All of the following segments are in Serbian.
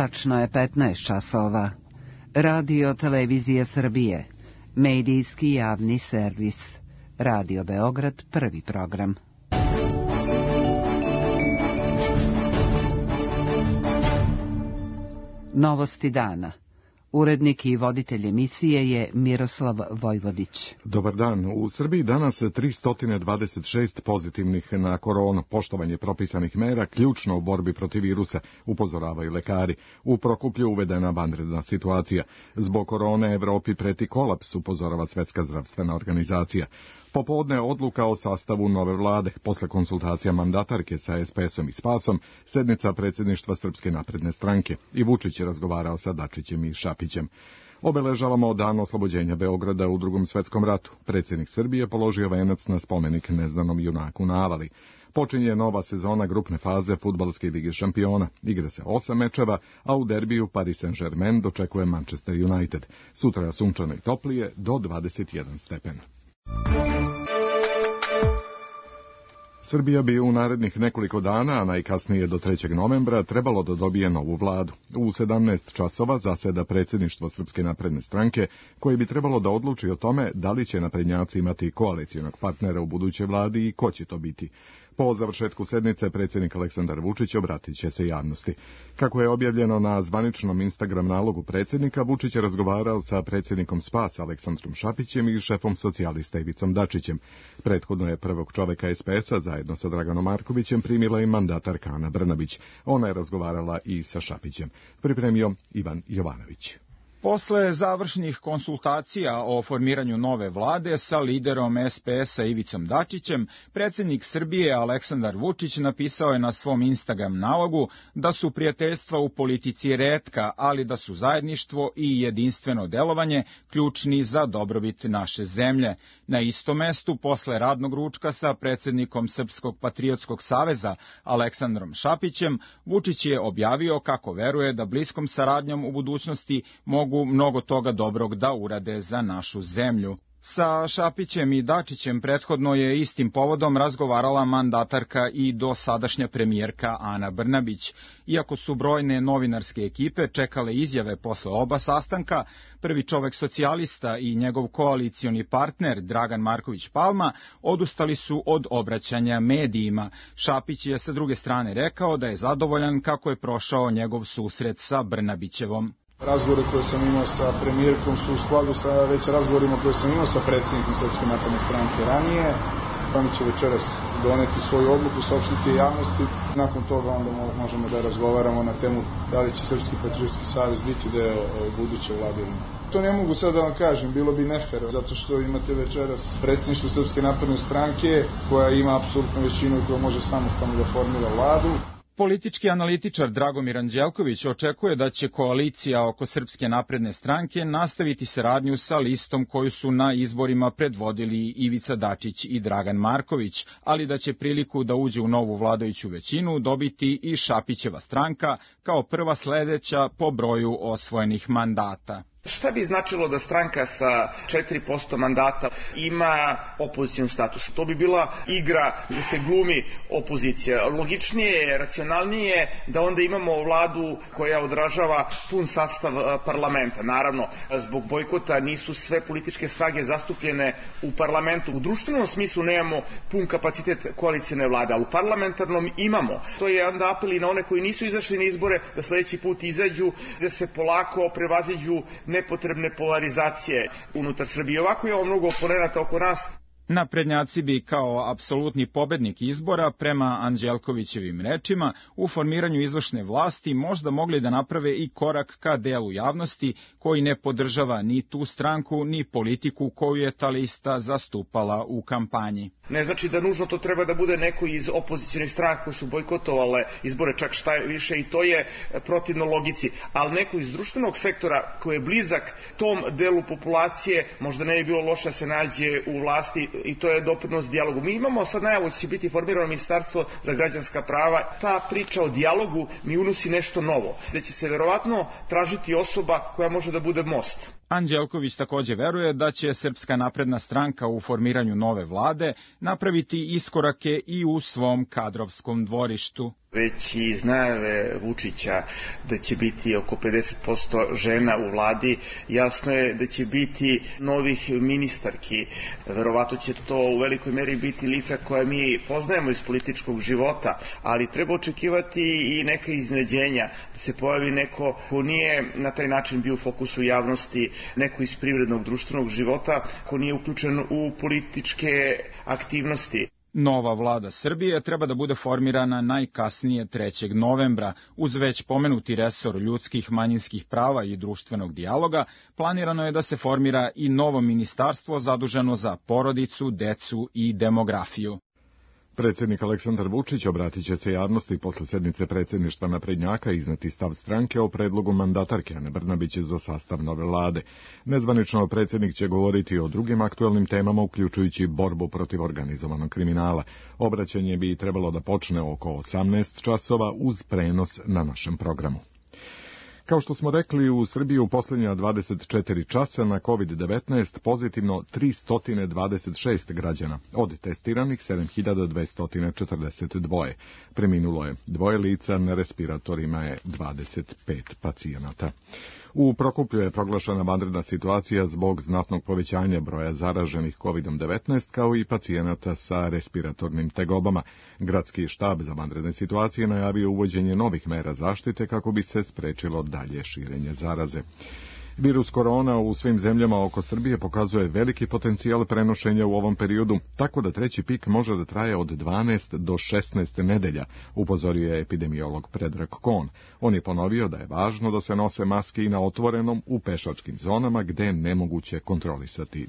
Tačno je 15 časova. Radio Televizija Srbije. Medijski javni servis. Radio Beograd, prvi program. Novosti dana. Urednik i voditelj emisije je Miroslav Vojvodić. Dobar dan. U Srbiji danas 326 pozitivnih na koronu. Poštovanje propisanih mera ključno u borbi protiv virusa, upozoravaju lekari. U Prokuplju uvedena vanredna situacija. Zbog korone Evropi preti kolaps, upozorava Svetska zdravstvena organizacija. Popodne odluka o sastavu nove vlade. Posle konsultacija mandatarke sa SPS-om i Spasom, sednica predsjedništva Srpske napredne stranke. I Vučić je razgovarao sa Dačićem i Šapićem. Obeležavamo dan oslobođenja Beograda u Drugom svetskom ratu. Predsjednik Srbije položio venac na spomenik neznanom junaku na Avali. Počinje nova sezona grupne faze Fudbalske lige šampiona. Igra se 8 mečeva, a u derbiju Paris Saint-Germain dočekuje Manchester United. Sutra sunčano i toplije do 21 stepen. Srbija bi u narednih nekoliko dana, a najkasnije do 3. novembra, trebalo da dobije novu vladu. U 17 časova zaseda predsjedništvo Srpske napredne stranke, koje bi trebalo da odluči o tome da li će naprednjaci imati koalicijonog partnera u budućoj vladi i ko će to biti. Po završetku sednice, predsjednik Aleksandar Vučić obratit će se javnosti. Kako je objavljeno na zvaničnom Instagram nalogu predsjednika, Vučić je razgovarao sa predsjednikom Spasa Aleksandrom Šapićem i šefom socijalista Ivicom Dačićem. Prethodno je prvog čoveka SPS-a zajedno sa Draganom Markovićem primila i mandatarka Ana Brnabić. Ona je razgovarala i sa Šapićem. Pripremio Ivan Jovanović. Posle završnih konsultacija o formiranju nove vlade sa liderom SPS-a Ivicom Dačićem, predsjednik Srbije Aleksandar Vučić napisao je na svom Instagram nalogu da su prijateljstva u politici retka, ali da su zajedništvo i jedinstveno delovanje ključni za dobrobit naše zemlje. Na istom mestu, posle radnog ručka sa predsjednikom Srpskog patriotskog saveza Aleksandrom Šapićem, Vučić je objavio kako veruje da bliskom saradnjom u budućnosti mogu mnogo toga dobrog da urade za našu zemlju. Sa Šapićem i Dačićem prethodno je istim povodom razgovarala mandatarka i dosadašnja premijerka Ana Brnabić. Iako su brojne novinarske ekipe čekale izjave posle oba sastanka, prvi čovek socijalista i njegov koalicioni partner Dragan Marković Palma odustali su od obraćanja medijima. Šapić je sa druge strane rekao da je zadovoljan kako je prošao njegov susret sa Brnabićevom. Razgovore koje sam imao sa premijerkom su u skladu sa već razgovorima koje sam imao sa predsjednikom Srpske napredne stranke ranije. Oni će večeras doneti svoju odluku, saopštiti javnosti. Nakon toga onda možemo da razgovaramo na temu da li će Srpski patriotski savez biti deo buduće vlade. To ne mogu sad da vam kažem, bilo bi nefer, zato što imate večeras predsjedništvo Srpske napredne stranke koja ima apsolutnu većinu i koja može samostalno da formira vladu. Politički analitičar Dragomir Anđelković očekuje da će koalicija oko Srpske napredne stranke nastaviti saradnju sa listom koju su na izborima predvodili Ivica Dačić i Dragan Marković, ali da će priliku da uđe u novu vladajuću većinu dobiti i Šapićeva stranka kao prva sledeća po broju osvojenih mandata. Šta bi značilo da stranka sa 4% mandata ima opozicijun status? To bi bila igra gdje se glumi opozicija. Logičnije je, racionalnije je da onda imamo vladu koja odražava pun sastav parlamenta. Naravno, zbog bojkota nisu sve političke snage zastupljene u parlamentu. U društvenom smislu nemamo pun kapacitet koalicijne vlade, ali u parlamentarnom imamo. To je onda apel i na one koji nisu izašli na izbore da sljedeći put izađu, da se polako prevaziđu nepotrebne polarizacije unutar Srbije. Ovako je ovo mnogo oponenata oko nas. Naprednjaci bi kao apsolutni pobednik izbora, prema Anđelkovićevim rečima, u formiranju izvršne vlasti možda mogli da naprave i korak ka delu javnosti koji ne podržava ni tu stranku, ni politiku koju je ta lista zastupala u kampanji. Ne znači da nužno to treba da bude neko iz opozicionih stranaka koji su bojkotovale izbore, čak šta je više, i to je protivno logici, ali neko iz društvenog sektora koji je blizak tom delu populacije možda ne bi bilo loše da se nađe u vlasti, i to je doprinos dijalogu. Mi imamo sad najavu da će biti formirano ministarstvo za građanska prava. Ta priča o dijalogu mi unosi nešto novo, da će se verovatno tražiti osoba koja može da bude most. Anđelković takođe veruje da će Srpska napredna stranka u formiranju nove vlade napraviti iskorake i u svom kadrovskom dvorištu. Već iz najave Vučića da će biti oko 50% žena u vladi, jasno je da će biti novih ministarki. Verovatno će to u velikoj meri biti lica koja mi poznajemo iz političkog života, ali treba očekivati i neka iznenađenja, da se pojavi neko ko nije na taj način bio u fokusu javnosti, neko iz privrednog društvenog života, ko nije uključen u političke aktivnosti. Nova vlada Srbije treba da bude formirana najkasnije 3. novembra. Uz već pomenuti resor ljudskih, manjinskih prava i društvenog dijaloga, planirano je da se formira i novo ministarstvo zaduženo za porodicu, decu i demografiju. Predsjednik Aleksandar Vučić obratit će se javnosti posle sednice predsjedništva naprednjaka i izneti stav stranke o predlogu mandatarke Ane Brnabić za sastav nove vlade. Nezvanično predsjednik će govoriti o drugim aktuelnim temama, uključujući borbu protiv organizovanog kriminala. Obraćanje bi trebalo da počne oko 18 časova uz prenos na našem programu. Kao što smo rekli, u Srbiji u posljednja 24 časa na COVID-19 pozitivno 326 građana, od testiranih 7242. Preminulo je 2 lica, na respiratorima je 25 pacijenata. U Prokuplju je proglašena vanredna situacija zbog znatnog povećanja broja zaraženih COVID-19 kao i pacijenata sa respiratornim tegobama. Gradski štab za vanredne situacije najavio uvođenje novih mera zaštite kako bi se sprečilo dalje širenje zaraze. Virus korona u svim zemljama oko Srbije pokazuje veliki potencijal prenošenja u ovom periodu, tako da treći pik može da traje od 12 do 16 nedelja, upozorio je epidemiolog Predrag Kon. On je ponovio da je važno da se nose maske i na otvorenom u pešačkim zonama gde je nemoguće kontrolisati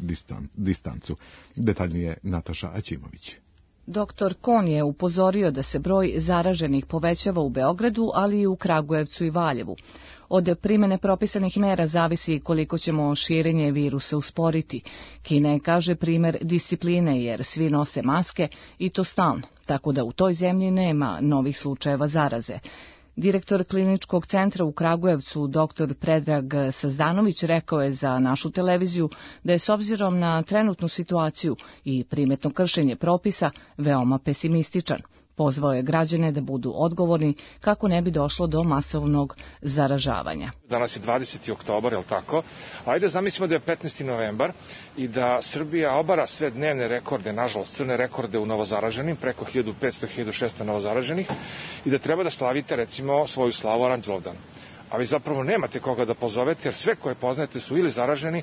distancu. Detaljnije Nataša Aćimović. Dr. Kon je upozorio da se broj zaraženih povećava u Beogradu, ali i u Kragujevcu i Valjevu. Od primene propisanih mera zavisi koliko ćemo širenje virusa usporiti. Kina je, kaže, primer discipline jer svi nose maske i to stalno, tako da u toj zemlji nema novih slučajeva zaraze. Direktor kliničkog centra u Kragujevcu, dr. Predrag Sazdanović, rekao je za našu televiziju da je s obzirom na trenutnu situaciju i primetno kršenje propisa veoma pesimističan. Pozvao je građane da budu odgovorni kako ne bi došlo do masovnog zaražavanja. Danas je 20. oktobar, je li tako? Ajde zamislimo da je 15. novembar i da Srbija obara sve dnevne rekorde, nažalost crne rekorde u novozaraženim, preko 1500-1600 novozaraženih, i da treba da slavite recimo svoju slavu Aranđelovdan. A vi zapravo nemate koga da pozovete jer sve koje poznajete su ili zaraženi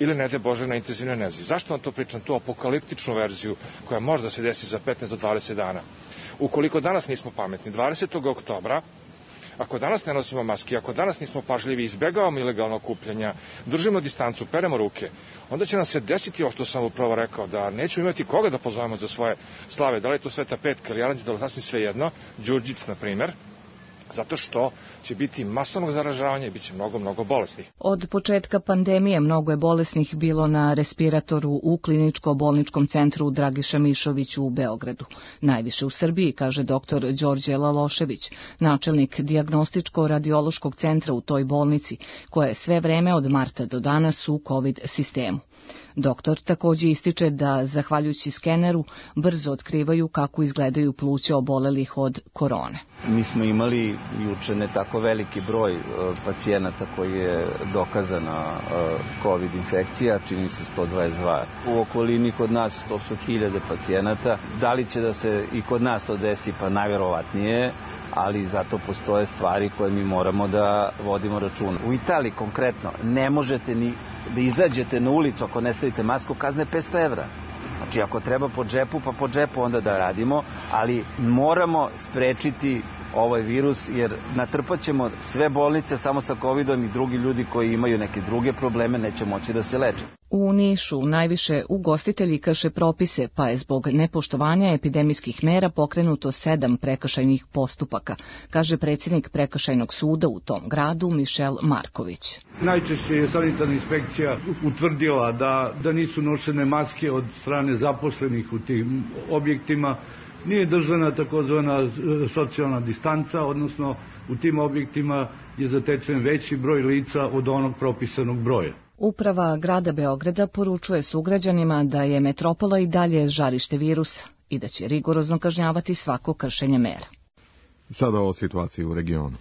ili ne daj Bože na intenzivnoj nezi. Zašto vam to pričam? Tu apokaliptičnu verziju koja možda se desi za 15 do 20 dana. Ukoliko danas nismo pametni, 20. oktobra, ako danas ne nosimo maske, ako danas nismo pažljivi, izbegavamo ilegalno okupljanja, držimo distancu, peremo ruke, onda će nam se desiti ovo što sam upravo rekao, da nećemo imati koga da pozovemo za svoje slave, da li je to Sveta Petka ili Aranđelovac, sasvim svejedno, Đurđic, na primer, zato što će biti masovnog zaražavanja i bit će mnogo bolesnih. Od početka pandemije mnogo je bolesnih bilo na respiratoru u kliničko-bolničkom centru Dragiša Mišović u Beogradu. Najviše u Srbiji, kaže dr. Đorđe Lalošević, načelnik dijagnostičko-radiološkog centra u toj bolnici, koja je sve vreme od marta do danas u COVID sistemu. Doktor takođe ističe da, zahvaljujući skeneru, brzo otkrivaju kako izgledaju pluća obolelih od korone. Mi smo imali juče ne tako veliki broj pacijenata koji je dokazana COVID infekcija, čini se 122. U okolini kod nas to su 1000 pacijenata. Da li će da se i kod nas to desi? Pa najverovatnije, ali zato postoje stvari koje mi moramo da vodimo računa. U Italiji konkretno ne možete ni da izađete na ulicu ako ne stavite masku, kazne 500 evra. Znači ako treba po džepu, pa po džepu onda da radimo, ali moramo sprečiti ovaj virus jer natrpat ćemo sve bolnice samo sa COVID-om i drugi ljudi koji imaju neke druge probleme neće moći da se leče. U Nišu najviše ugostitelji krše propise, pa je zbog nepoštovanja epidemijskih mera pokrenuto 7 prekršajnih postupaka, kaže predsjednik prekršajnog suda u tom gradu Mišel Marković. Najčešće je sanitarna inspekcija utvrdila da nisu nošene maske od strane zaposlenih u tim objektima, nije držana takozvana socijalna distanca, odnosno u tim objektima je zatečen veći broj lica od onog propisanog broja. Uprava grada Beograda poručuje sugrađanima da je metropola i dalje žarište virusa i da će rigorozno kažnjavati svako kršenje mera. Sada o situaciji u regionu.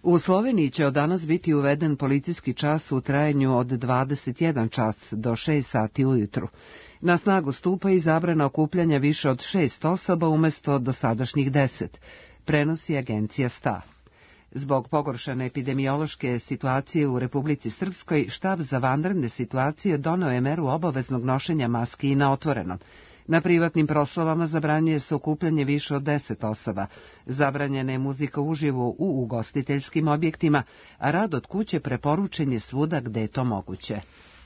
U Sloveniji će od danas biti uveden policijski čas u trajanju od 21 čas do 6 sati ujutru. Na snagu stupa i zabrana okupljanja više od 6 osoba umjesto dosadašnjih 10, prenosi agencija STA. Zbog pogoršane epidemiološke situacije u Republici Srpskoj, štab za vanredne situacije doneo je meru obaveznog nošenja maski i na otvorenom. Na privatnim proslavama zabranjuje se okupljanje više od 10 osoba, zabranjena je muzika uživo u ugostiteljskim objektima, a rad od kuće preporučen je svuda gde je to moguće.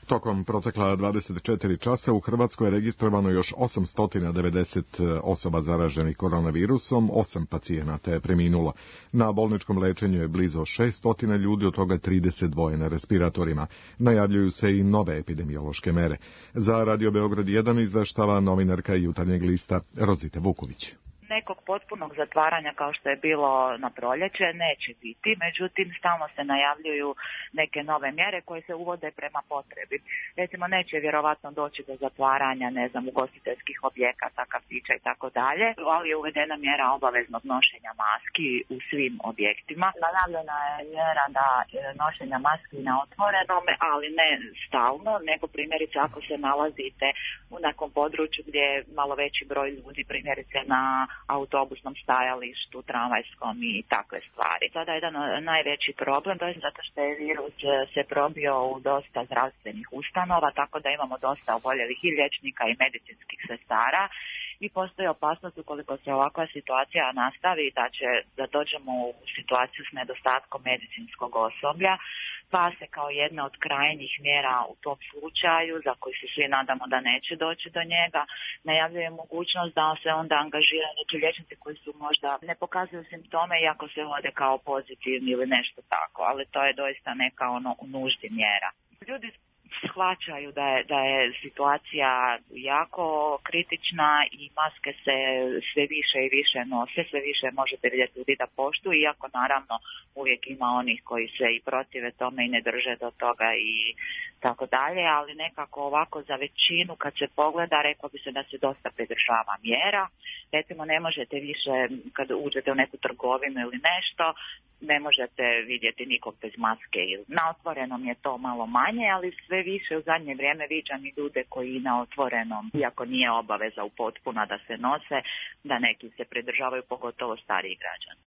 Tokom protekla 24 časa u Hrvatskoj je registrovano još 890 osoba zaraženih koronavirusom, 8 pacijenata je preminulo. Na bolničkom lečenju je blizu 600 ljudi, od toga 32 na respiratorima. Najavljuju se i nove epidemiološke mere. Za Radio Beograd 1 izveštava novinarka Jutarnjeg lista Rozita Vuković. Nekog potpunog zatvaranja kao što je bilo na proljeće neće biti, međutim stalno se najavljuju neke nove mjere koje se uvode prema potrebi. Recimo neće vjerovatno doći do zatvaranja, ugostiteljskih objekata, kafića i tako dalje, ali je uvedena mjera obaveznog nošenja maski u svim objektima. Najavljena je mjera da nošenja maski na otvorenom, ali ne stalno, nego primjerice ako se nalazite u nekom području gdje je malo veći broj ljudi, primjerice na autobusnom stajalištu, tramvajskom i takve stvari. Sada je jedan najveći problem, to je zato što je virus se probio u dosta zdravstvenih ustanova, tako da imamo dosta oboljelih i liječnika i medicinskih sestara i postoji opasnost ukoliko se ovakva situacija nastavi da dođemo u situaciju s nedostatkom medicinskog osoblja, pa se kao jedna od krajnjih mjera u tom slučaju, za koji se svi nadamo da neće doći do njega, najavljuje mogućnost da se onda angažiraju neki liječnici koji su možda ne pokazuju simptome iako se vode kao pozitivni ili nešto tako, ali to je doista neka u nuždi mjera. Ljudi shvaćaju da je situacija jako kritična i maske se sve više i više nose, sve više možete vidjeti ljudi da poštuju, iako naravno uvijek ima onih koji se i protive tome i ne drže do toga i tako dalje, ali nekako ovako za većinu kad se pogleda rekao bi se da se dosta pridržava mjera. Recimo ne možete više kad uđete u neku trgovinu ili nešto, ne možete vidjeti nikog bez maske. Na otvorenom je to malo manje, ali sve više u zadnje vrijeme viđam i ljude koji na otvorenom, iako nije obaveza u potpuna da se nose, da neki se pridržavaju, pogotovo stariji građani.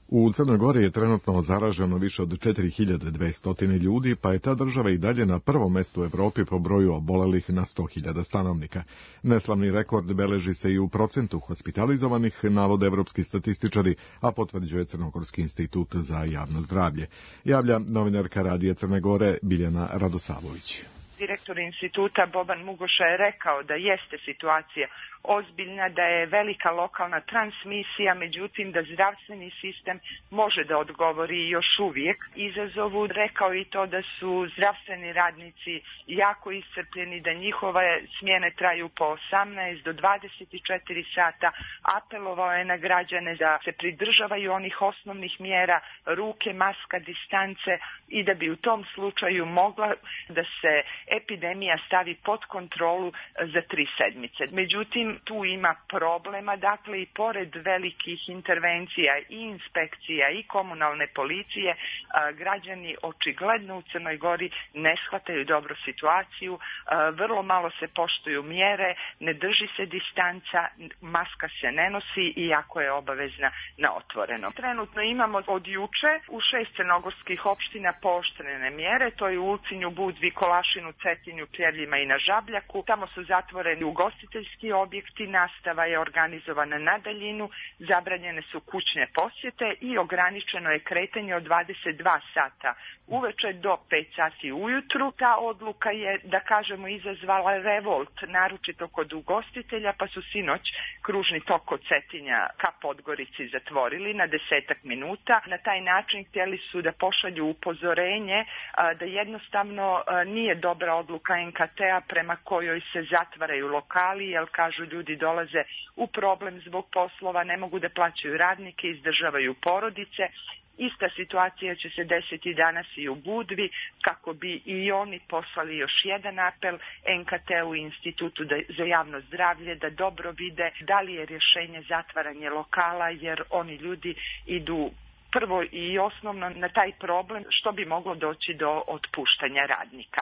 U Crnoj Gori je trenutno zaraženo više od 4200 ljudi, pa je ta država i dalje na prvom mjestu u Evropi po broju obolelih na 100.000 stanovnika. Neslavni rekord beleži se i u procentu hospitalizovanih, navode evropski statističari, a potvrđuje Crnogorski institut za javno zdravlje. Javlja novinarka Radija Crne Gore Biljana Radosavović. Direktor instituta Boban Mugoša je rekao da jeste situacija ozbiljna, da je velika lokalna transmisija, međutim da zdravstveni sistem može da odgovori još uvijek izazovu. Rekao i to da su zdravstveni radnici jako iscrpljeni, da njihove smjene traju po 18 do 24 sata. Apelovao je na građane da se pridržavaju onih osnovnih mjera, ruke, maska, distance i da bi u tom slučaju mogla da se epidemija stavi pod kontrolu za 3 sedmice. Međutim, tu ima problema, dakle i pored velikih intervencija i inspekcija i komunalne policije, građani očigledno u Crnoj Gori ne shvataju dobro situaciju, vrlo malo se poštuju mjere, ne drži se distanca, maska se ne nosi iako je obavezna na otvorenom. Trenutno imamo od juče u 6 crnogorskih opština pooštrene mjere, to je u Ulcinju, Budvi, Kolašinu, Cetinju, Pljevljima i na Žabljaku. Tamo su zatvoreni ugostiteljski objekti, nastava je organizovana na daljinu, zabranjene su kućne posjete i ograničeno je kretanje od 22 sata uveče do 5 sati ujutru. Ta odluka je, da kažemo, izazvala revolt, naročito kod ugostitelja, pa su sinoć kružni tok od Cetinja ka Podgorici zatvorili na 10 minuta. Na taj način htjeli su da pošalju upozorenje da jednostavno nije dobra odluka NKT-a prema kojoj se zatvaraju lokali, jer kažu ljudi dolaze u problem zbog poslova, ne mogu da plaćaju radnike, izdržavaju porodice Ista situacija će se desiti danas i u Budvi, kako bi i oni poslali još jedan apel NKT-u i Institutu za javno zdravlje da dobro vide da li je rješenje zatvaranje lokala, jer oni ljudi idu prvo i osnovno na taj problem što bi moglo doći do otpuštanja radnika.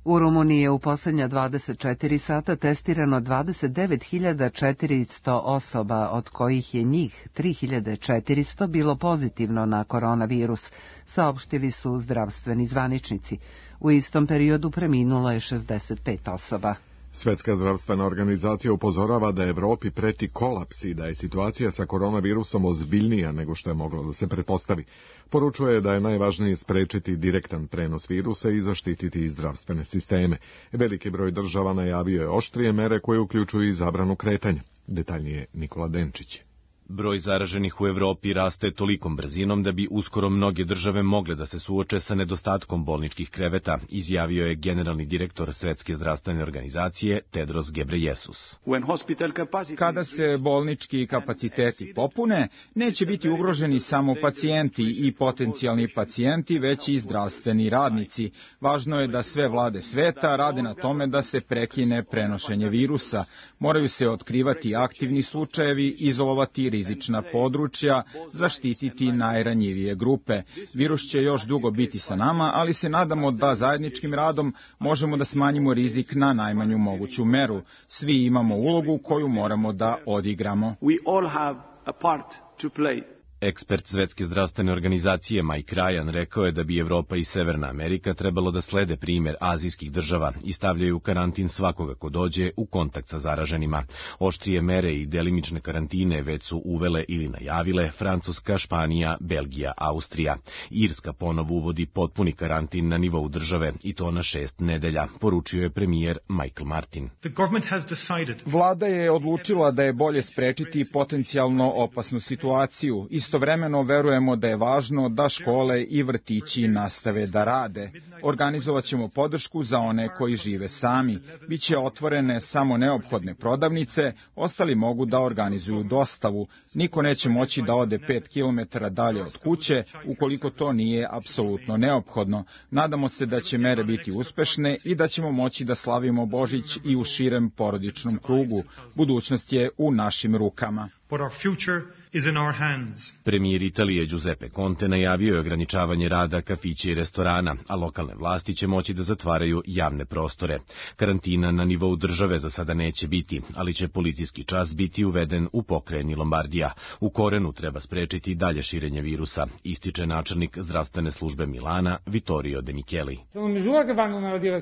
U Rumuniji je u posljednja 24 sata testirano 29.400 osoba, od kojih je njih 3.400 bilo pozitivno na koronavirus, saopštili su zdravstveni zvaničnici. U istom periodu preminulo je 65 osoba. Svjetska zdravstvena organizacija upozorava da Evropi preti kolaps i da je situacija sa koronavirusom ozbiljnija nego što je moglo da se pretpostavi. Poručuje da je najvažnije sprečiti direktan prenos virusa i zaštititi zdravstvene sisteme. Veliki broj država najavio je oštrije mere koje uključuju i zabranu kretanja. Detaljnije Nikola Denčić. Broj zaraženih u Evropi raste tolikom brzinom da bi uskoro mnoge države mogle da se suoče sa nedostatkom bolničkih kreveta, izjavio je generalni direktor Svetske zdravstvene organizacije Tedros Ghebreyesus. Kada se bolnički kapaciteti popune, neće biti ugroženi samo pacijenti i potencijalni pacijenti, već i zdravstveni radnici. Važno je da sve vlade sveta rade na tome da se prekine prenošenje virusa. Moraju se otkrivati aktivni slučajevi, izolovati rizična područja, zaštititi najranjivije grupe. Virus će još dugo biti sa nama, ali se nadamo da zajedničkim radom možemo da smanjimo rizik na najmanju moguću meru. Svi imamo ulogu koju moramo da odigramo. Ekspert Svetske zdravstvene organizacije Mike Ryan rekao je da bi Evropa i Severna Amerika trebalo da slede primjer azijskih država i stavljaju u karantin svakoga ko dođe u kontakt sa zaraženima. Oštrije mere i delimične karantine već su uvele ili najavile Francuska, Španija, Belgija, Austrija. Irska ponovo uvodi potpuni karantin na nivou države i to na 6 nedelja, poručio je premijer Michael Martin. Vlada je odlučila da je bolje sprečiti potencijalno opasnu situaciju. Istovremeno verujemo da je važno da škole i vrtići nastave da rade. Organizovat ćemo podršku za one koji žive sami. Biće otvorene samo neophodne prodavnice, ostali mogu da organizuju dostavu. Niko neće moći da ode 5 km dalje od kuće, ukoliko to nije apsolutno neophodno. Nadamo se da će mere biti uspešne i da ćemo moći da slavimo Božić i u širem porodičnom krugu. Budućnost je u našim rukama. Premijer Italije Giuseppe Conte najavio je ograničavanje rada kafića i restorana, a lokalne vlasti će moći da zatvaraju javne prostore. Karantina na nivou države za sada neće biti, ali će policijski čas biti uveden u pokrajini Lombardija. U korenu treba sprečiti dalje širenje virusa, ističe načelnik zdravstvene službe Milana Vittorio De Micheli.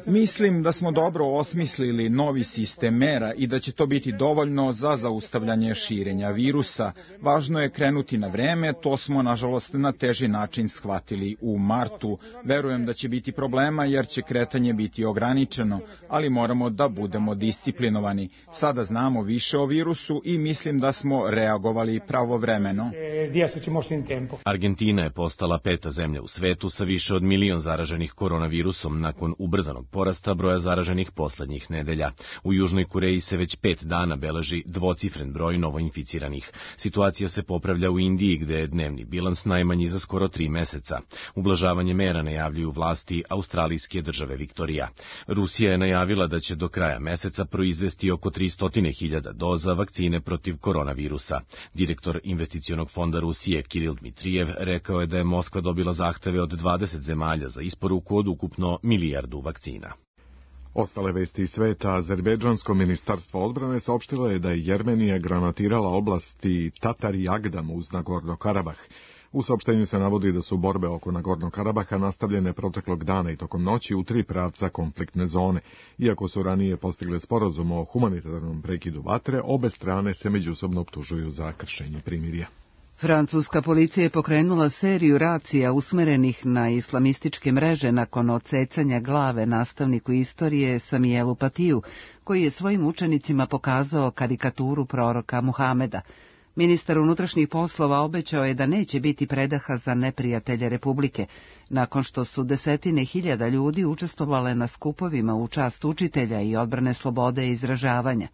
Mislim da smo dobro osmislili novi sistem mera i da će to biti dovoljno za zaustavljanje širenja virusa. Važno je krenuti na vreme, to smo nažalost na teži način shvatili u martu. Verujem da će biti problema jer će kretanje biti ograničeno, ali moramo da budemo disciplinovani. Sada znamo više o virusu i mislim da smo reagovali pravovremeno. Argentina je postala 5. zemlja u svetu sa više od 1 milion zaraženih koronavirusom nakon ubrzanog porasta broja zaraženih poslednjih nedelja. U Južnoj Koreji se već 5 dana beleži dvocifren broj novoinficiranih. Situacija se popravlja u Indiji, gde je dnevni bilans najmanji za skoro 3 meseca. Ublažavanje mera najavljuju vlasti australijske države Viktorija. Rusija je najavila da će do kraja meseca proizvesti oko 300.000 doza vakcine protiv koronavirusa. Direktor investicionog fonda Rusije Kiril Dmitrijev rekao je da je Moskva dobila zahteve od 20 zemalja za isporuku od ukupno 1 milijardu vakcina. Ostale vesti iz sveta, Azerbejdžansko ministarstvo odbrane saopštilo je da je Jermenija granatirala oblasti Tatar i Agdam uz Nagorno Karabah. U saopštenju se navodi da su borbe oko Nagorno Karabaha nastavljene proteklog dana i tokom noći u 3 pravca konfliktne zone. Iako su ranije postigle sporazum o humanitarnom prekidu vatre, obe strane se međusobno optužuju za kršenje primirja. Francuska policija je pokrenula seriju racija usmerenih na islamističke mreže nakon odsecanja glave nastavniku istorije Samielu Patiju, koji je svojim učenicima pokazao karikaturu proroka Muhameda. Ministar unutrašnjih poslova obećao je da neće biti predaha za neprijatelje Republike, nakon što su desetine hiljada ljudi učestvovale na skupovima u čast učitelja i odbrane slobode izražavanja.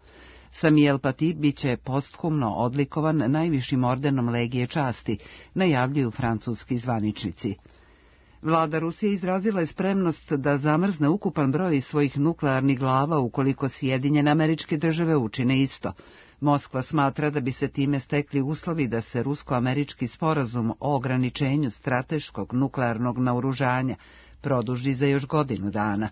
Samuel Paty biće posthumno odlikovan najvišim ordenom Legije časti, najavljuju francuski zvaničnici. Vlada Rusije izrazila je spremnost da zamrzne ukupan broj svojih nuklearnih glava ukoliko Sjedinjene Američke Države učine isto. Moskva smatra da bi se time stekli uslovi da se rusko-američki sporazum o ograničenju strateškog nuklearnog naoružanja produži za još godinu dana.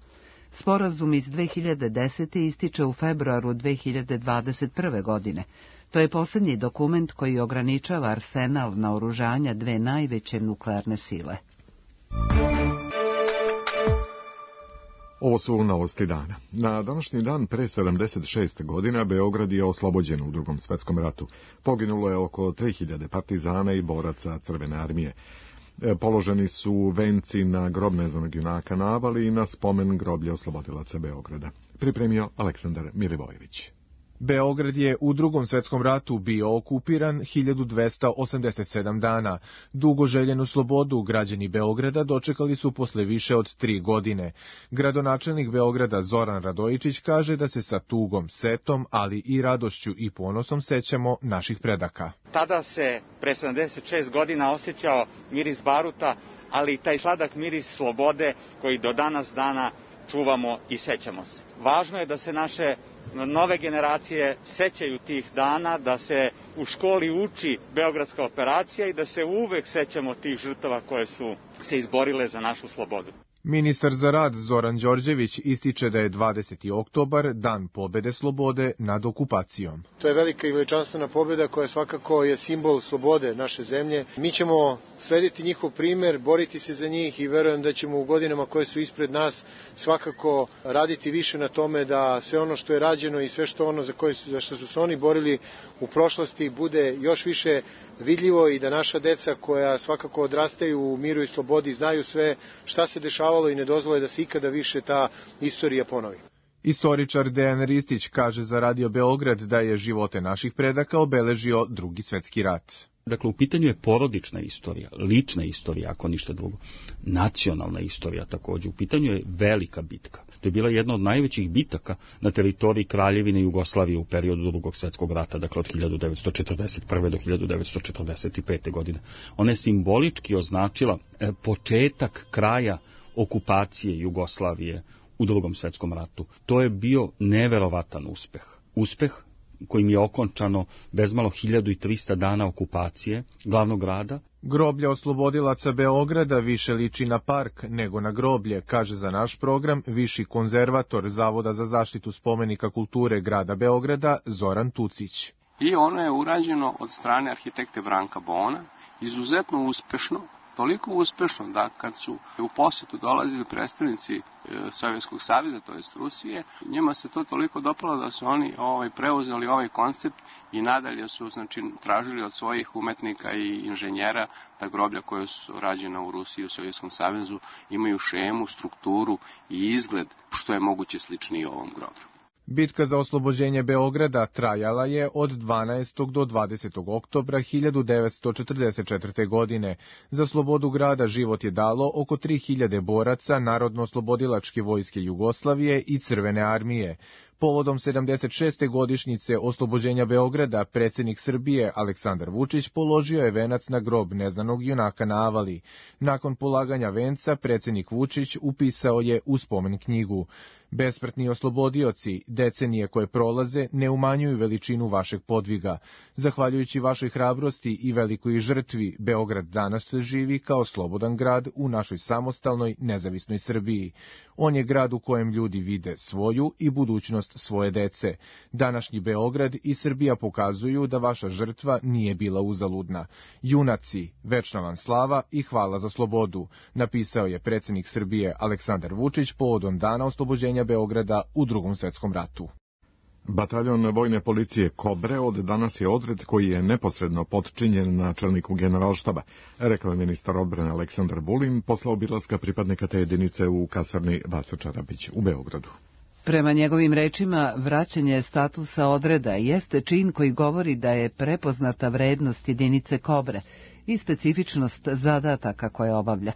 Sporazum iz 2010. ističe u februaru 2021. godine. To je posljednji dokument koji ograničava arsenal naoružanja dve najveće nuklearne sile. Ovo su novosti dana. Na današnji dan pre 76 godina Beograd je oslobođen u Drugom svetskom ratu. Poginulo je oko 3000 partizana i boraca Crvene armije. Položeni su venci na grob neznanog junaka na Avali i na spomen groblje oslobodilaca Beograda. Pripremio Aleksandar Milivojević. Beograd je u Drugom svetskom ratu bio okupiran 1287 dana. Dugo željenu slobodu građani Beograda dočekali su posle više od 3 godine. Gradonačelnik Beograda Zoran Radojičić kaže da se sa tugom, setom, ali i radošću i ponosom sećamo naših predaka. Tada se pre 76 godina osjećao miris baruta, ali i taj sladak miris slobode koji do danas dana čuvamo i sećamo se. Važno je da se naše nove generacije sećaju tih dana, da se u školi uči Beogradska operacija i da se uvek sećamo tih žrtava koje su se izborile za našu slobodu. Ministar za rad Zoran Đorđević ističe da je 20. oktobar dan pobede slobode nad okupacijom. To je velika i veličanstvena pobeda koja svakako je simbol slobode naše zemlje. Mi ćemo slediti njihov primer, boriti se za njih i verujem da ćemo u godinama koje su ispred nas svakako raditi više na tome da sve ono što je rađeno i sve što ono za što su se oni borili u prošlosti bude još više vidljivo i da naša deca koja svakako odrastaju u miru i slobodi znaju sve šta se dešavalo i ne dozvole da se ikada više ta istorija ponovi. Istoričar Dejan Ristić kaže za Radio Beograd da je živote naših predaka obeležio Drugi svetski rat. Dakle, u pitanju je porodična istorija, lična istorija, ako ništa drugo, nacionalna istorija također. U pitanju je velika bitka. To je bila jedna od najvećih bitaka na teritoriji Kraljevine Jugoslavije u periodu Drugog svjetskog rata, dakle od 1941. do 1945. godine. Ona je simbolički označila početak kraja okupacije Jugoslavije u Drugom svjetskom ratu. To je bio neverovatan uspeh. Uspeh kojim je okončano bezmalo 1300 dana okupacije glavnog grada. Groblje oslobodilaca Beograda više liči na park nego na groblje, kaže za naš program viši konzervator Zavoda za zaštitu spomenika kulture grada Beograda Zoran Tucić. I ono je urađeno od strane arhitekte Branka Bona, izuzetno uspešno, toliko uspešno da kad su u posetu dolazili predstavnici Sovjetskog saveza, to jest Rusije, njima se to toliko dopalo da su oni preuzeli ovaj koncept i nadalje su tražili od svojih umetnika i inženjera da groblja koje su rađena u Rusiji i u Sovjetskom savezu imaju šemu, strukturu i izgled što je moguće sličniji ovom groblju. Bitka za oslobođenje Beograda trajala je od 12. do 20. oktobra 1944. godine. Za slobodu grada život je dalo oko 3000 boraca Narodno-oslobodilačke vojske Jugoslavije i Crvene armije. Povodom 76. godišnjice oslobođenja Beograda, predsjednik Srbije Aleksandar Vučić položio je venac na grob neznanog junaka na Avali. Nakon polaganja venca, predsjednik Vučić upisao je u spomen knjigu: Besmrtni oslobodioci, decenije koje prolaze ne umanjuju veličinu vašeg podviga. Zahvaljujući vašoj hrabrosti i velikoj žrtvi, Beograd danas se živi kao slobodan grad u našoj samostalnoj, nezavisnoj Srbiji. On je grad u kojem ljudi vide svoju i budućnost svoje dece. Današnji Beograd i Srbija pokazuju da vaša žrtva nije bila uzaludna. Junaci, večna vam slava i hvala za slobodu, napisao je predsjednik Srbije Aleksandar Vučić povodom dana oslobođenja Beograda u Drugom svjetskom ratu. Bataljon vojne policije Kobre od danas je odred koji je neposredno potčinjen načelniku generalštaba, rekao je ministar odbrane Aleksandar Vulin posle obilaska pripadnika te jedinice u kasarni Vasa Čarapić u Beogradu. Prema njegovim rečima, vraćanje statusa odreda jeste čin koji govori da je prepoznata vrednost jedinice Kobre i specifičnost zadataka koje obavlja.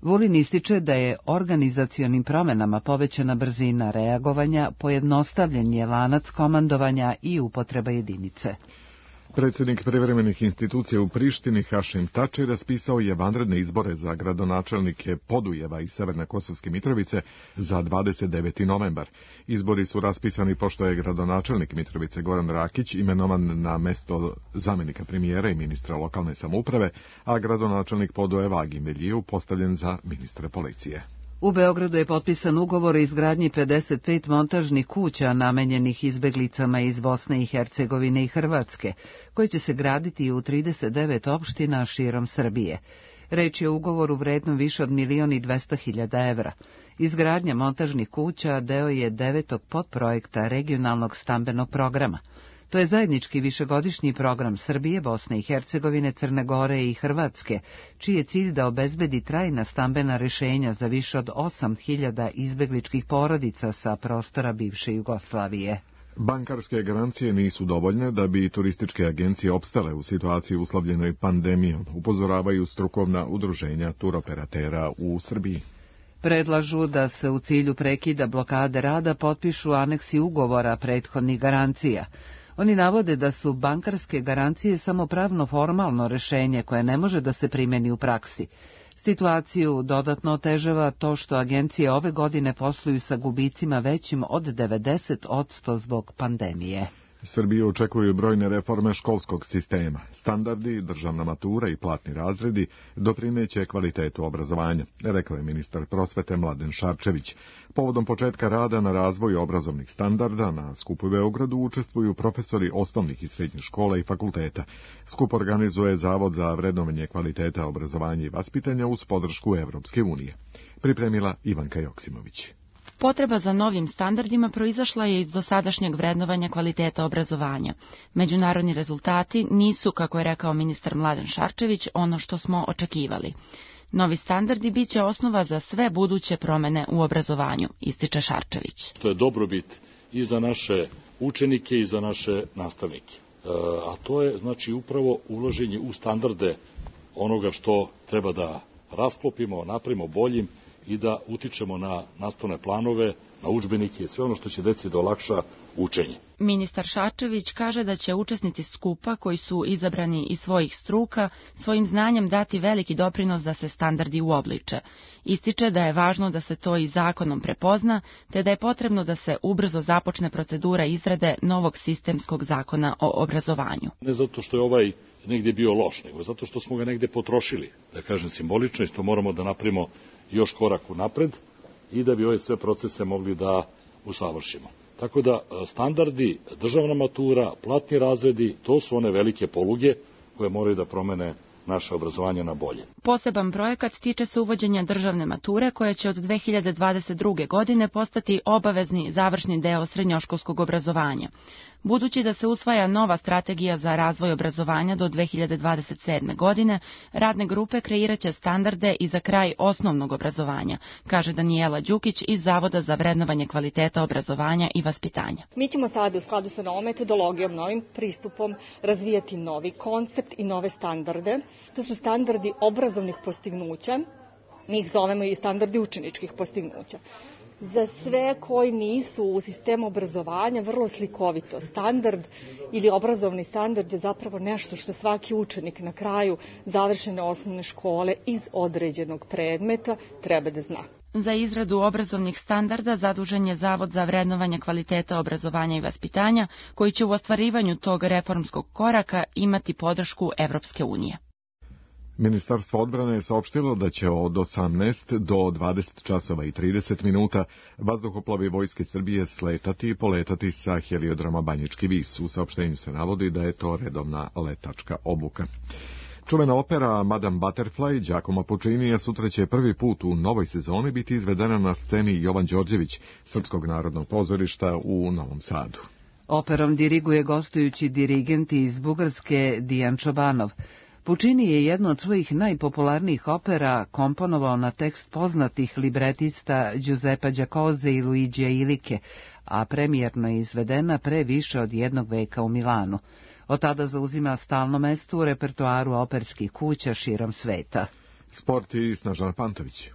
Vulin ističe da je organizacionim promjenama povećana brzina reagovanja, pojednostavljen je lanac komandovanja i upotreba jedinice. Predsjednik privremenih institucija u Prištini Hašim Tači raspisao je vanredne izbore za gradonačelnike Podujeva i Severne Kosovske Mitrovice za 29. novembar. Izbori su raspisani pošto je gradonačelnik Mitrovice Goran Rakić imenovan na mesto zamjenika premijera i ministra lokalne samouprave, a gradonačelnik Podujeva Agim Veljiju postavljen za ministra policije. U Beogradu je potpisan ugovor o izgradnji 55 montažnih kuća namenjenih izbeglicama iz Bosne i Hercegovine i Hrvatske, koji će se graditi u 39 opština širom Srbije. Reč je o ugovoru vrednom više od 1.200.000 evra. Izgradnja montažnih kuća deo je 9. podprojekta regionalnog stambenog programa. To je zajednički višegodišnji program Srbije, Bosne i Hercegovine, Crne Gore i Hrvatske, čiji je cilj da obezbedi trajna stambena rješenja za više od 8.000 izbegličkih porodica sa prostora bivše Jugoslavije. Bankarske garancije nisu dovoljne da bi turističke agencije opstale u situaciji uslovljenoj pandemijom, upozoravaju strukovna udruženja turoperatera u Srbiji. Predlažu da se u cilju prekida blokade rada potpišu aneksi ugovora prethodnih garancija. Oni navode da su bankarske garancije samo pravno formalno rješenje koje ne može da se primjeni u praksi. Situaciju dodatno otežava to što agencije ove godine posluju sa gubicima većim od 90% zbog pandemije. Srbiju očekuju brojne reforme školskog sistema. Standardi, državna matura i platni razredi doprineće kvalitetu obrazovanja, rekao je ministar prosvete Mladen Šarčević. Povodom početka rada na razvoju obrazovnih standarda na skupu u Beogradu učestvuju profesori osnovnih i srednjih škola i fakulteta. Skup organizuje Zavod za vrednovanje kvaliteta obrazovanja i vaspitanja uz podršku Evropske unije. Pripremila Ivanka Joksimović. Potreba za novim standardima proizašla je iz dosadašnjeg vrednovanja kvaliteta obrazovanja. Međunarodni rezultati nisu, kako je rekao ministar Mladen Šarčević, ono što smo očekivali. Novi standardi bit će osnova za sve buduće promene u obrazovanju, ističe Šarčević. To je dobrobit i za naše učenike i za naše nastavnike. A to je znači upravo ulaženje u standarde onoga što treba da rasklopimo, napravimo boljim i da utičemo na nastavne planove, na udžbenike i sve ono što će deci da olakša učenje. Ministar Šarčević kaže da će učesnici skupa koji su izabrani iz svojih struka svojim znanjem dati veliki doprinos da se standardi uobliče. Ističe da je važno da se to i zakonom prepozna, te da je potrebno da se ubrzo započne procedura izrade novog sistemskog zakona o obrazovanju. Ne zato što je ovaj negdje bio loš, nego zato što smo ga negdje potrošili, da kažem simbolično, i što moramo da napravimo još korak unapred i da bi ove sve procese mogli da usavršimo. Tako da standardi, državna matura, platni razredi, to su one velike poluge koje moraju da promene naše obrazovanje na bolje. Poseban projekat tiče se uvođenja državne mature koja će od 2022. godine postati obavezni završni deo srednjoškolskog obrazovanja. Budući da se usvaja nova strategija za razvoj obrazovanja do 2027. godine, radne grupe kreiraće standarde i za kraj osnovnog obrazovanja, kaže Danijela Đukić iz Zavoda za vrednovanje kvaliteta obrazovanja i vaspitanja. Mi ćemo sada u skladu sa novom metodologijom, novim pristupom razvijati novi koncept i nove standarde. To su standardi obrazovnih postignuća, mi ih zovemo i standardi učeničkih postignuća. Za sve koji nisu u sistemu obrazovanja, vrlo slikovito, standard ili obrazovni standard je zapravo nešto što svaki učenik na kraju završene osnovne škole iz određenog predmeta treba da zna. Za izradu obrazovnih standarda zadužen je Zavod za vrednovanje kvaliteta obrazovanja i vaspitanja, koji će u ostvarivanju tog reformskog koraka imati podršku Evropske unije. Ministarstvo odbrane je saopštilo da će od 18 do 20 časova i 30 minuta vazduhoplovi Vojske Srbije sletati i poletati sa heliodroma Banjički vis. U saopštenju se navodi da je to redovna letačka obuka. Čuvena opera Madame Butterfly Giacomo Puccinija sutra će prvi put u novoj sezoni biti izvedena na sceni Jovan Đorđević, Srpskog narodnog pozorišta u Novom Sadu. Operom diriguje gostujući dirigent iz Bugarske Dijan Čobanov. Puccini je jednu od svojih najpopularnijih opera komponovao na tekst poznatih libretista Giuseppa Giacosa i Luigija Ilike, a premijerno je izvedena pre više od jednog veka u Milanu. Od tada zauzima stalno mesto u repertoaru operskih kuća širom sveta. Sport i Snažana Pantović.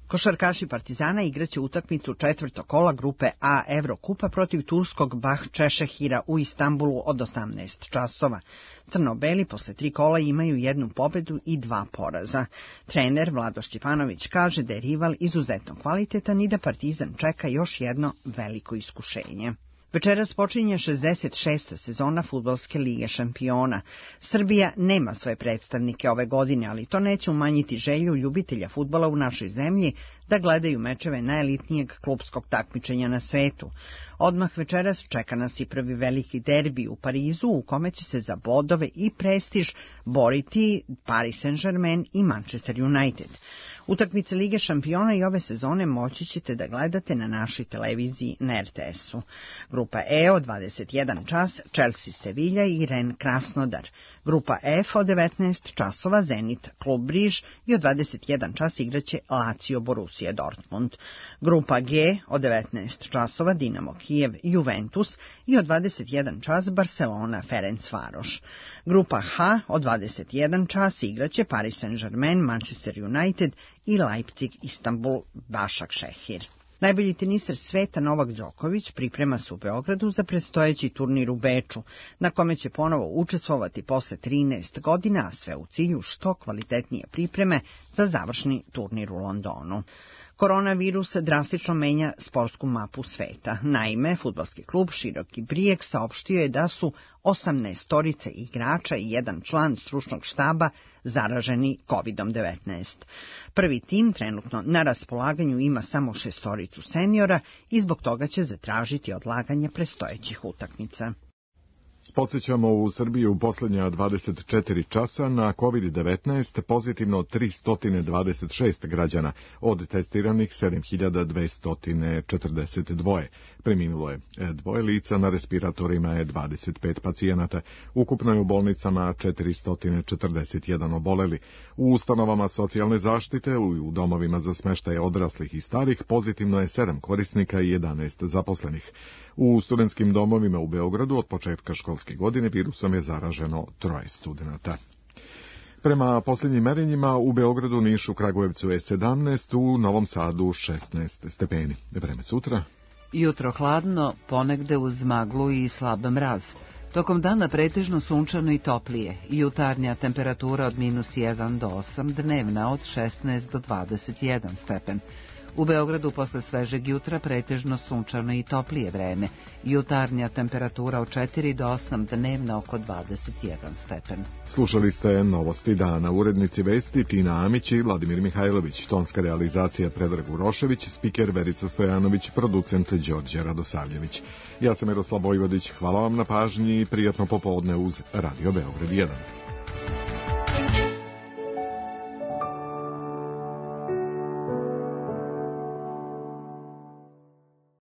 Košarkaši Partizana igraće utakmicu četvrtog kola grupe A Evrokupa protiv turskog Bahčešehira u Istanbulu od 18 časova. Crno-beli posle 3 kola imaju 1 pobedu i 2 poraza. Trener Vlado Šćepanović kaže da je rival izuzetno kvalitetan i da Partizan čeka još jedno veliko iskušenje. Večeras počinje 66. sezona Fudbalske lige šampiona. Srbija nema svoje predstavnike ove godine, ali to neće umanjiti želju ljubitelja fudbala u našoj zemlji da gledaju mečeve najelitnijeg klupskog takmičenja na svetu. Odmah večeras čeka nas i prvi veliki derbi u Parizu, u kome će se za bodove i prestiž boriti Paris Saint-Germain i Manchester United. Utakmice Lige šampiona i ove sezone moći ćete da gledate na našoj televiziji na RTS-u. Grupa E od 21 čas, Chelsea Sevilla i Rennes Krasnodar. Grupa F od 19 časova, Zenit Klub Briž i od 21 čas igraće Lazio Borussia Dortmund. Grupa G od 19 časova, Dinamo Kijev Juventus i od 21 čas Barcelona Ferencvaroš. Grupa H od 21 čas igraće Paris Saint-Germain, Manchester United i Leipzig Istanbul Başakşehir. Najbolji teniser sveta Novak Đoković priprema se u Beogradu za predstojeći turnir u Beču, na kome će ponovo učestvovati posle 13 godina, a sve u cilju što kvalitetnije pripreme za završni turnir u Londonu. Koronavirus drastično menja sportsku mapu sveta. Naime, fudbalski klub Široki Brijeg saopštio je da su 18 igrača i 1 član stručnog štaba zaraženi COVID-19. Prvi tim trenutno na raspolaganju ima samo 6 seniora i zbog toga će zatražiti odlaganje predstojećih utakmica. Podsjećamo, u Srbiji u posljednja 24 časa na COVID-19 pozitivno 326 građana, od testiranih 7242. Preminulo je 2 lica, na respiratorima je 25 pacijenata, ukupno je u bolnicama 441 oboleli. U ustanovama socijalne zaštite i u domovima za smeštaj odraslih i starih pozitivno je 7 korisnika i 11 zaposlenih. U studentskim domovima u Beogradu od početka školske godine virusom je zaraženo 3 studenata. Prema posljednjim merenjima u Beogradu, Nišu, Kragujevcu je 17, u Novom Sadu 16 stepeni. Vreme sutra. Jutro hladno, ponegde uz maglu i slab mraz. Tokom dana pretežno sunčano i toplije. Jutarnja temperatura od -1 do 8, dnevna od 16 do 21 stepen. U Beogradu posle svežeg jutra pretežno sunčano i toplije vreme. Jutarnja temperatura od 4 do 8, dnevna oko 21 stepen. Slušali ste Novosti dana. Urednici vesti Tina Amić i Vladimir Mihajlović. Tonska realizacija Predrag Urošević, spiker Verica Stojanović, producent Đorđe Radosavljević. Ja sam Miroslav Vojvodić. Hvala vam na pažnji i prijatno popodne uz Radio Beograd 1.